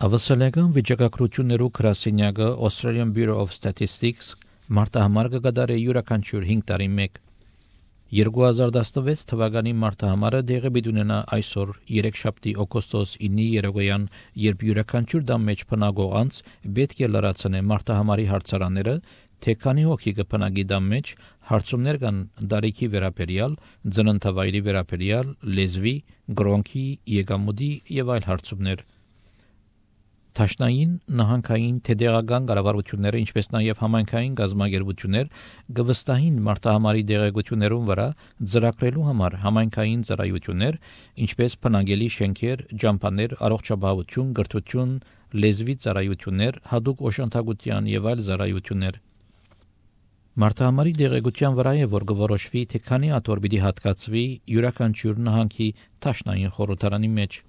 Ավասալական վիճակագրություններու գրասենյակը Australian Bureau of Statistics մարտահամար կգադարի յուրաքանչյուր 5 տարի մեկ 2016 թվականի մարտահամարը դեղի բիդունենա այսօր 3 օգոստոս 9-ի երեկոյան երբ յուրաքանչյուր դամ մեջ փնագող անց պետք է լրացնե մարտահամարի հարցարանները թե քանի հոգի կփնագի դամ մեջ հարցումներ կան դարիքի վերաբերյալ ծննդավայրի վերաբերյալ լեզվի գրոնքի եկամուտի եւ այլ հարցումներ Տաշնային նահանգային թեդեղական կառավարությունները ինչպես նաև համայնքային գազագերբություններ գվստահին մարտահամարի դեղեցություններուն վրա ծրագրելու համար համայնքային ծառայություններ ինչպես բնակելի շենքեր, ջամփաներ, առողջապահություն, գրթություն, լեզվի ծառայություններ, հadoop օժանդակության եւ այլ ծառայություններ Մարտահամարի դեղեցության վրա է որ գորոշվի թե քանի աթոռ պիտի հատկացվի յուրաքանչյուր նահանգի տաշնային խորհրդարանի մեջ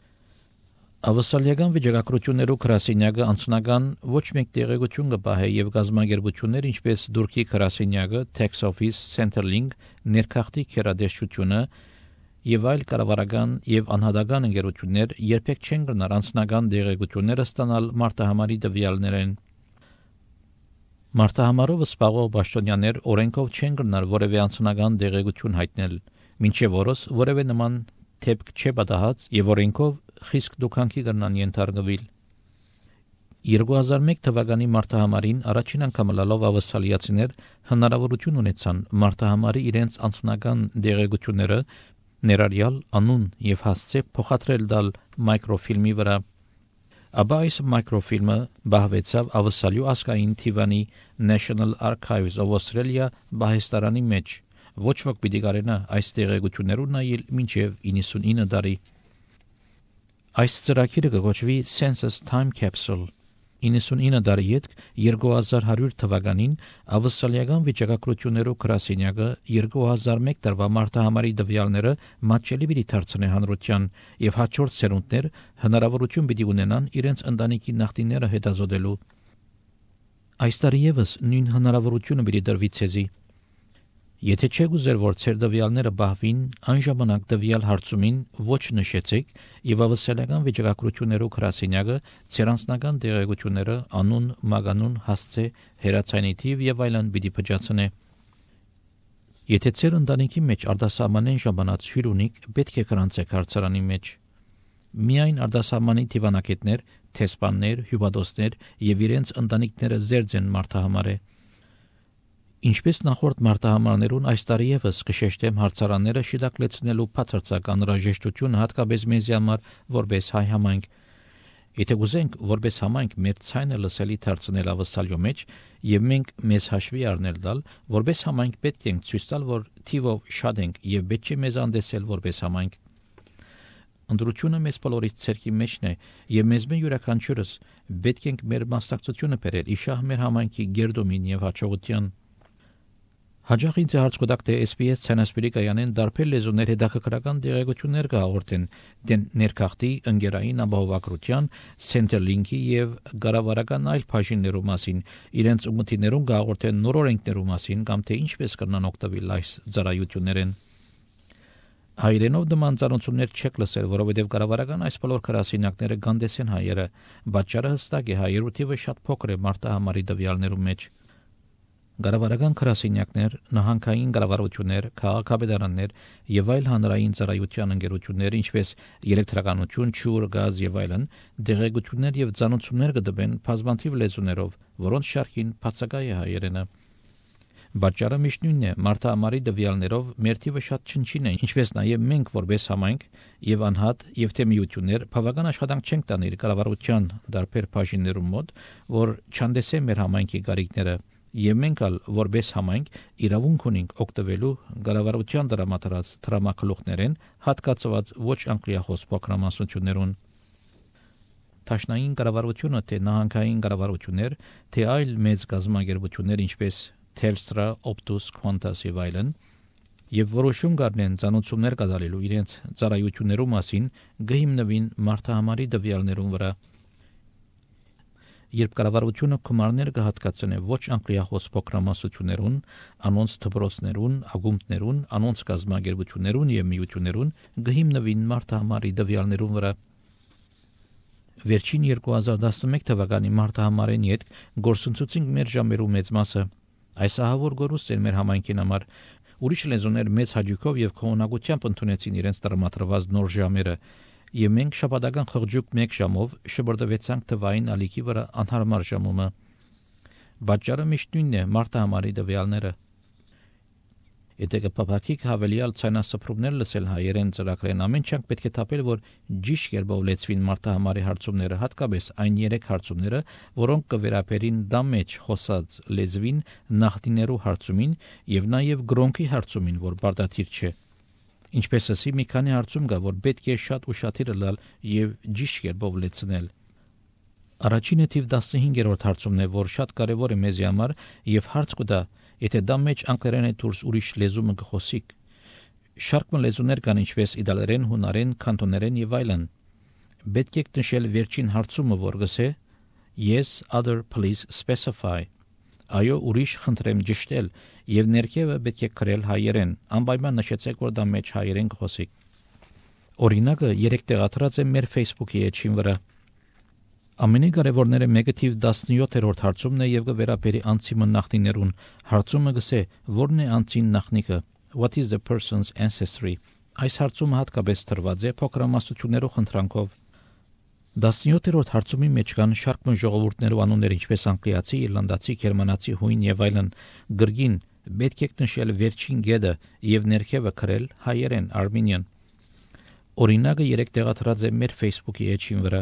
Ավասալական վիճակագրություններու գրասենյակը անձնական ոչ մեկ տեղեկություն կպահե եւ գազագերբություններ ինչպես Դուրքի գրասենյակը, Tax Office, Centrelink, ներքախտի քերադեշությունը եւ այլ կառավարական եւ անհատական ընկերություններ երբեք չեն գնար անձնական տեղեկությունները ստանալ մարտահամարի տվյալներեն Մարտահամարով սպառող պաշտոնյաներ օրենքով չեն գնար որևէ անձնական տեղեկություն հայտնել մինչեւ օրս որևէ նման թեփք չէ պատահած եւ օրենքով խիստ դուքանքի կրնան ենթարկվել 2001 թվականի մարտահամարին առաջին անգամ լալով ավասալիացիներ հնարավորություն ունեցան մարտահամարի իրենց անձնական դեղեցությունները ներառյալ անուն եւ հասցե փոխադրել դալ մայկրոֆիլմի վրա Աբա այս մայկրոֆիլմը բահվեցավ ավասալյու ասկային թիվանի National Archives of Australia բահեստարանի մեջ ոչ ոք պիտի կարենա այս տեղեկություններուն նայել մինչև 99 տարի Այս ծրագիրը կոչվի Census Time Capsule 99 տարի յետք 2100 թվականին ավասալական վիճակագրություններու գրասենյակը 2001 տարվա մարտահամարի տվյալները մատչելի պիտի դարձնե հանրության եւ հաջորդ սերունդներ հնարավորություն պիտի ունենան իրենց ընտանիքի նախտիները հետազոտելու Այս տարի եւս նույն հնարավորությունը պիտի դրվի ցեզի Եթե չեք ուզեր որ ցեր տվյալները բահվին, անժամանակ տվյալ հարցումին ոչ նշեցեք եւ ավասալական վիճակագրություններու գրասենյակը ցեր անձնական տեղեկությունները անուն, մագանուն, հասցե, հերացանի թիվ եւ այլն պիտի փճացնե Եթե ցեր ընտանիքի մեջ արտասահմանեն ժամանած հյուր ունիք, պետք է գրանցեք հարցարանի մեջ Միայն արտասահմանի թիվանակետներ, թեսպաններ, հյուպատոսներ եւ իրենց ընտանիքները զերծ են մարտահամարը Ինչպես նախորդ մարտահամարներուն այս տարի եւս կշեշտեմ հարցարանները շիդակլեցնելու բացարձակ անհրաժեշտությունը հատկապես մեզի համար որպես հայ համայնք Եթե գուզենք որպես համայնք մեր ցայնը լսելի դարձնել ավասալյո մեջ եւ մենք մեզ հաշվի առնել դալ որպես համայնք պետք է ցույց տալ որ թիվով շատ ենք եւ պետք է մեզ անդեսել որպես համայնք Ընդրությունը մեզ բոլորից ցերքի մեջն է եւ մեզ մեն յուրաքանչյուրս պետք ենք մեր մասնակցությունը բերել իշահ մեր համայնքի գերդոմին եւ հաջողության Հաջող ինձ հարց կտակ թե SPS ցանասպիրի կայանեն դարբեր լեզուներ հետաքրքրական տեղեկություններ կհաղորդեն դեն ներքախտի ընկերային ապահովագրության Centrelink-ի եւ գարավարական այլ բաժիններու մասին իրենց ուղղություններուն կհաղորդեն նոր օրենքներու մասին կամ թե ինչպես կնան օգտվել այս ծառայություններեն Հայերենով դման ծանոթություններ չեք լսել, որովհետև կառավարական այս բոլոր քրասինակները գանդեսեն հայերը, բաճարը հստակ է հայերու թիվը շատ փոքր է մարտահամարի տվյալներու մեջ Գարավարական քրասենյակներ, նահանգային կառավարություններ, քաղաքապետարաններ եւ այլ հանրային ծառայության ընկերություններ, ինչպես էլեկտրականություն, ջուր, գազ եւ այլն, դեղեցություններ եւ ծանոթություններ կդբեն բազմաթիվ լեզուներով, որոնց շարքին բացակայ է հայերենը։ Բաճարը միշտ նույնն է, մարտահամարի տվյալներով մեր թիվը շատ չնչին է, ինչպես նաեւ մենք որպես համայնք եւ անհատ եւ թե միություններ բավական աշխատանք չենք տանել կառավարության դարբեր բաժիններում մոտ, որ չանդեսեն մեր համայնքի գարիկները Եվ մենք ալ որպես համայնք իրավունք ունենք օգտվելու կառավարության դրամատրած դրամակլուխներեն հատկացված ոչ անգլիախոս փոքրամասնություններուն Տաշնային կառավարությունը թե նահանգային կառավարություններ թե այլ մեծ գազագերբություններ ինչպես Telstra, Optus, Qantas եւ այլն եւ որոշում կառնեն ծանոթություններ կատարելու իրենց ծառայություններու մասին գհիմնվին մարտահամարի տվյալներուն վրա Երբ կառավարությունը գումարներ կհատկացնե ոչ անգլիախոս փոքրամասնություններուն, անոնց դպրոցներուն, ակումբներուն, անոնց գազագերբություններուն եւ միություններուն գհիմնվին մարտահամարի տվյալներուն վրա Վերջին 2011 թվականի մարտահամարին հետ գործընծուցինք մեր ժամերու մեծ մասը։ Այս ահավոր գորուստ էր մեր համայնքին համար։ Ուրիշ լեզուներ մեծ հաճույքով եւ քողնակությամբ ընդունեցին իրենց տրամադրված նոր ժամերը, եւ մենք շաբաթական խղճուկ 1 ժամով շբրդվեցանք թվային ալիքի վրա անհարմար ժամումը։ Բաճարը միշտ նույնն է մարտահամարի դվյալները։ Եթե կփափակիկ հավելյալ ցանասփռումներ լսել հայերեն ծրագրեն ամեն չանք պետք է թափել, որ ճիշտ կերպով լեցվին մարտահամարի հարցումները, հատկապես այն 3 հարցումները, որոնք կվերապերին դա մեջ խոսած լեզվին, նախնիներու հարցումին եւ նաեւ գրոնքի հարցումին, որ բարդաթիր չէ։ Ինչպես ասի, մի քանի հարցում կա, որ պետք է շատ ուշադիր լալ եւ ճիշտ կերպով լեցնել։ Առաջինը թիվ 15-րդ հարցումն է, որ շատ կարեւոր է մեզի համար եւ հարց կտա, եթե դա մեջ անգլերեն է դուրս ուրիշ լեզու կխոսիկ։ Շարք լեզուներ կան, ինչպես իտալերեն, հունարեն, կանտոներեն եւ այլն։ Պետք է նշել վերջին հարցումը, որ գսե Yes, other please specify։ Այո, ուրիշ խնդրեմ ճշտել եւ ներքևը պետք է գրել հայերեն։ Անպայման նշեցեք, որ դա մեջ հայերեն կխոսիկ։ Օրինակը 3 տեղադրած է մեր Facebook-ի էջին վրա։ Ամենակարևորները մեկը թիվ 17-րդ հարցումն է եւ կվերապերի անցիմը նախնիներուն։ Հարցումը գսե որն է անցին նախնիկը։ What is the person's ancestry։ Այս հարցումը հատկապես տրված է փոքրամասնություններով խնդրանքով։ 17-րդ հարցումի մեջ կան շարք ժողովուրդներու անուններ, ինչպես անգլիացի, իռլանդացի, գերմանացի, հույն եւ այլն։ Գրգին պետք է նշել վերջին գեդը եւ ներքևը գրել հայերեն Armenian։ Օրինակը 3 տեղադրած է մեր Facebook-ի էջին վրա։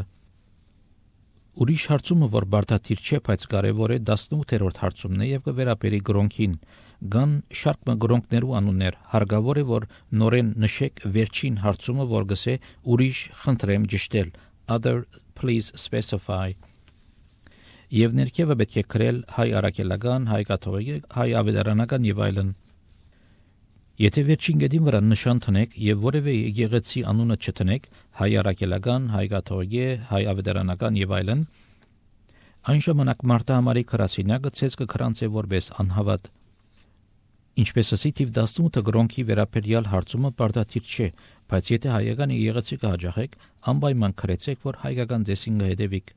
Ուրիշ հարցումը, որ բարդաթիր չէ, բայց կարևոր է 18-րդ հարցումն է եւ կվերապերի գրոնքին։ Գան շարք գրոնքներու անուններ, հարկավոր է, որ նորեն նշեք վերջին հարցումը, որ գսե ուրիշ խնդրեմ ճշտել, other please specify։ Եվ ներքևը պետք է գրել հայ արաքելական, հայ կաթողիկ, հայ ավետարանական եւ այլն։ Եթե վերջին գեդին վրա նշան տնեք եւ որևէ եկեղեցի անունը չտնեք, հայ արաքելական, հայ կաթողիկ, հայ ավետարանական եւ այլն, այն ժամանակ մարտահամարի քրասինակը ցես կքրանցե որպես անհավատ։ Ինչպես ասի թիվ 18-ը գրոնքի վերապերյալ հարցումը բարդաթիր չէ, բայց եթե հայական եկեղեցի կհաջողեք, անպայման քրեցեք, որ հայկական ձեսին կհետևիկ։